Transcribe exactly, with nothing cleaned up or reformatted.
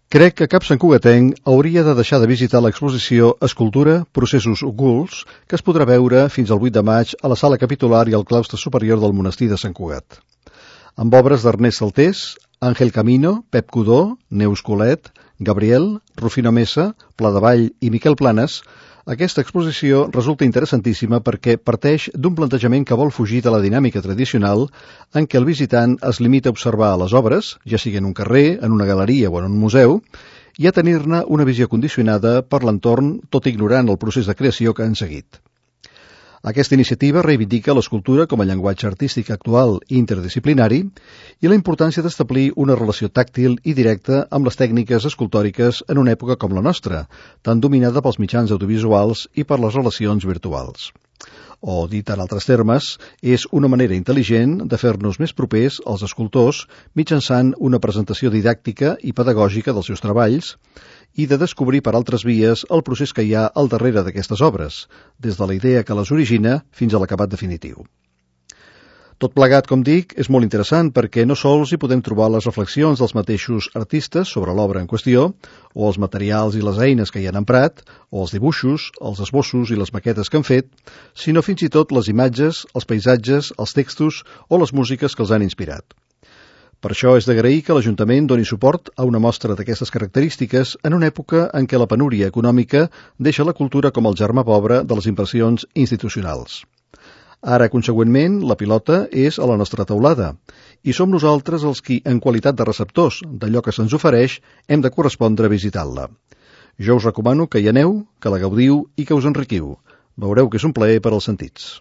Crec que cap santcugatenc hauria de deixar de visitar l'exposició Escultura, processos ocults, que es podrà veure fins al vuit de maig a la sala capitular i al claustre superior del monestir de Sant Cugat. Amb obres d'Ernest Saltés, Àngel Camino, Pep Codó, Neus Colet, Gabriel, Rufino Mesa, Pladevall i Miquel Planes, aquesta exposició resulta interessantíssima perquè parteix d'un plantejament que vol fugir de la dinàmica tradicional en què el visitant es limita a observar les obres, ja sigui en un carrer, en una galeria o en un museu, i a tenir-ne una visió condicionada per l'entorn, tot ignorant el procés de creació que han seguit. Aquesta iniciativa reivindica l'escultura com a llenguatge artístic actual i interdisciplinari i la importància d'establir una relació tàctil i directa amb les tècniques escultòriques en una època com la nostra, tan dominada pels mitjans audiovisuals i per les relacions virtuals. O, dit en altres termes, és una manera intel·ligent de fer-nos més propers als escultors mitjançant una presentació didàctica i pedagògica dels seus treballs i de descobrir per altres vies el procés que hi ha al darrere d'aquestes obres, des de la idea que les origina fins a l'acabat definitiu. Tot plegat, com dic, és molt interessant perquè no sols hi podem trobar les reflexions dels mateixos artistes sobre l'obra en qüestió, o els materials i les eines que hi han emprat, o els dibuixos, els esbossos i les maquetes que han fet, sinó fins i tot les imatges, els paisatges, els textos o les músiques que els han inspirat. Per això és d'agrair que l'Ajuntament doni suport a una mostra d'aquestes característiques en una època en què la penúria econòmica deixa la cultura com el germà pobre de les inversions institucionals. Ara, consegüentment, la pilota és a la nostra teulada i som nosaltres els qui, en qualitat de receptors d'allò que se'ns ofereix, hem de correspondre visitant-la. Jo us recomano que hi aneu, que la gaudiu i que us enriquiu. Veureu que és un plaer per als sentits.